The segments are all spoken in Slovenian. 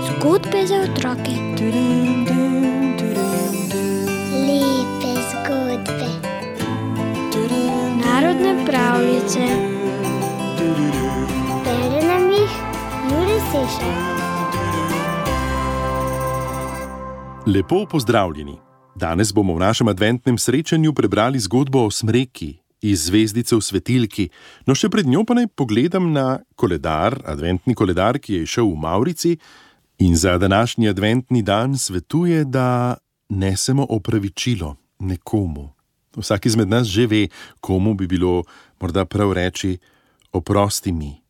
Zgodbe za otroke. Lepe zgodbe. Narodne pravljice. Bere nam jih Jure Sešar. Lepo pozdravljeni. Danes bomo v našem adventnem srečanju prebrali zgodbo o smreki iz Zvezdice v svetilki. No, še pred njo pa naj pogledam na koledar, adventni koledar, ki je šel v Mavrici in za današnji adventni dan svetuje, da nesemo opravičilo nekomu. Vsak izmed nas že ve, komu bi bilo morda prav reči: oprosti mi.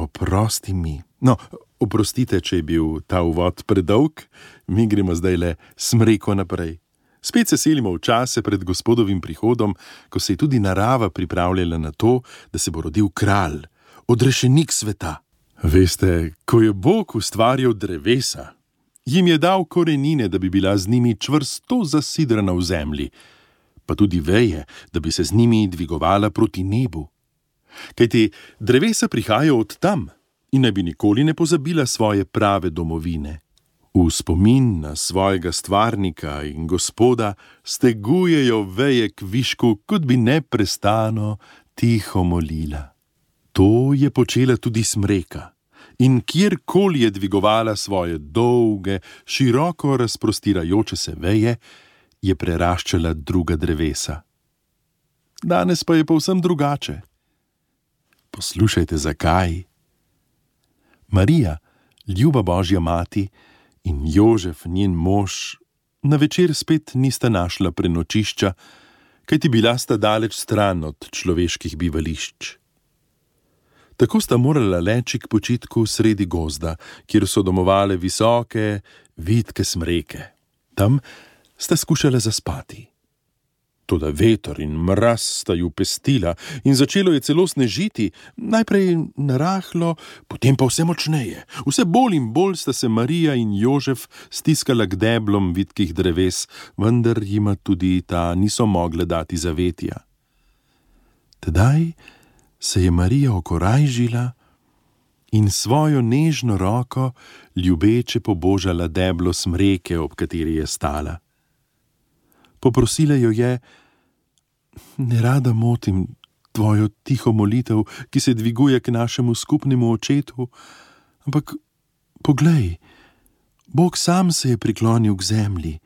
Oprosti mi. No, oprostite, če je bil ta uvod predolg, mi gremo zdaj le smreko naprej. Spet se selimo v čase pred Gospodovim prihodom, ko se je tudi narava pripravljala na to, da se bo rodil kralj, odrešenik sveta. Veste, ko je Bog ustvarjal drevesa, jim je dal korenine, da bi bila z njimi čvrsto zasidrana v zemlji, pa tudi veje, da bi se z njimi dvigovala proti nebu. Kajti drevesa prihajajo od tam in ne bi nikoli ne pozabila svoje prave domovine. V spomin na svojega stvarnika in Gospoda stegujejo veje k višku, kot bi neprestano tiho molila. To je počela tudi smreka in kjerkoli je dvigovala svoje dolge, široko razprostirajoče se veje, je preraščala druga drevesa. Danes pa je povsem drugače. Poslušajte, zakaj. Marija, ljuba Božja mati, in Jožef, njen mož, na večer spet nista našla prenočišča, kajti bila sta daleč stran od človeških bivališč. Tako sta morala leči k počitku sredi gozda, kjer so domovale visoke, vitke smreke. Tam sta skušala zaspati. Toda veter in mraz sta ju pestila in začelo je celo snežiti, najprej narahlo, potem pa vse močneje. Vse bolj in bolj sta se Marija in Jožef stiskala k deblom vitkih dreves, vendar jima tudi ta niso mogle dati zavetja. Tedaj se je Marija okorajžila in svojo nežno roko ljubeče pobožala deblo smreke, ob kateri je stala. Poprosila jo je: nerada motim tvojo tiho molitev, ki se dviguje k našemu skupnemu očetu, ampak poglej, Bog sam se je priklonil k zemlji.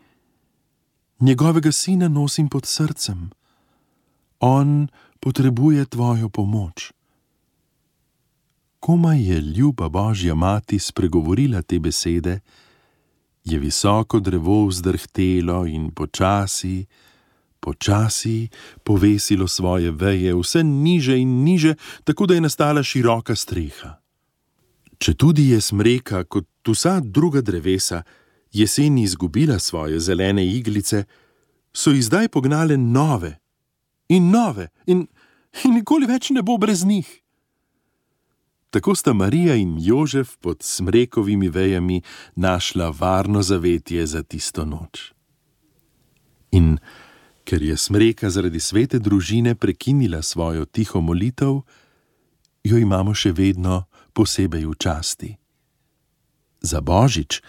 Njegovega sina nosim pod srcem. On potrebuje tvojo pomoč. Komaj je ljuba Božja mati spregovorila te besede, je visoko drevo vzdrhtelo in počasi povesilo svoje veje vse niže in niže, tako da je nastala široka streha. Četudi je smreka, kot vsa druga drevesa, jeseni izgubila svoje zelene iglice, so ji zdaj pognale nove in nikoli več ne bo brez njih. Tako sta Marija in Jožef pod smrekovimi vejami našla varno zavetje za tisto noč. In ker je smreka zaradi svete družine prekinila svojo tiho molitev, jo imamo še vedno posebej v časti. Za Božič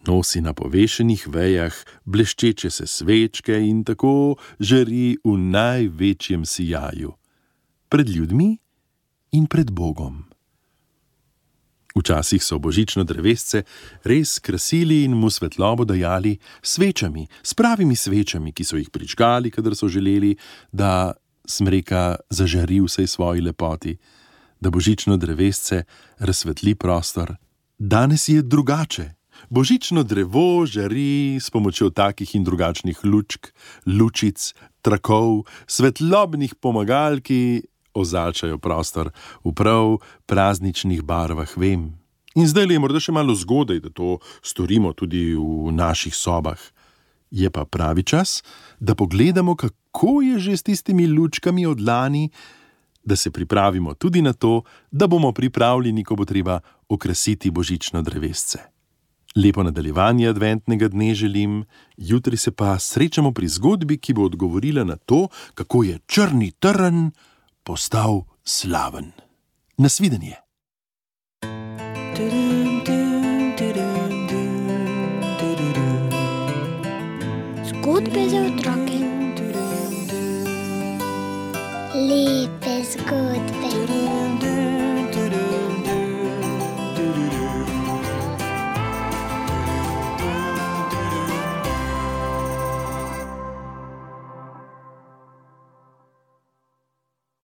nosi na povešenih vejah bleščeče se svečke in tako žari v največjem sijaju, pred ljudmi in pred Bogom. Včasih so božično drevesce res krasili in mu svetlobo dajali svečami, s pravimi svečami, ki so jih prižgali, kadar so želeli, da smreka zažari vsej svoji lepoti, da božično drevesce razsvetli prostor. Danes je drugače. Božično drevo žari s pomočjo takih in drugačnih lučk, lučic, trakov, svetlobnih pomagal, ki ozalčajo prostor v prav prazničnih barvah, vem. In zdaj je morda še malo zgodaj, da to storimo tudi v naših sobah. Je pa pravi čas, da pogledamo, kako je že s tistimi lučkami od lani, da se pripravimo tudi na to, da bomo pripravljeni, ko bo treba okrasiti božično drevesce. Lepo nadaljevanje adventnega dne želim, jutri se pa srečamo pri zgodbi, ki bo odgovorila na to, kako je črni trn postal slaven. Nasvidenje. Zgodbe za otroke. Lepe zgodbe.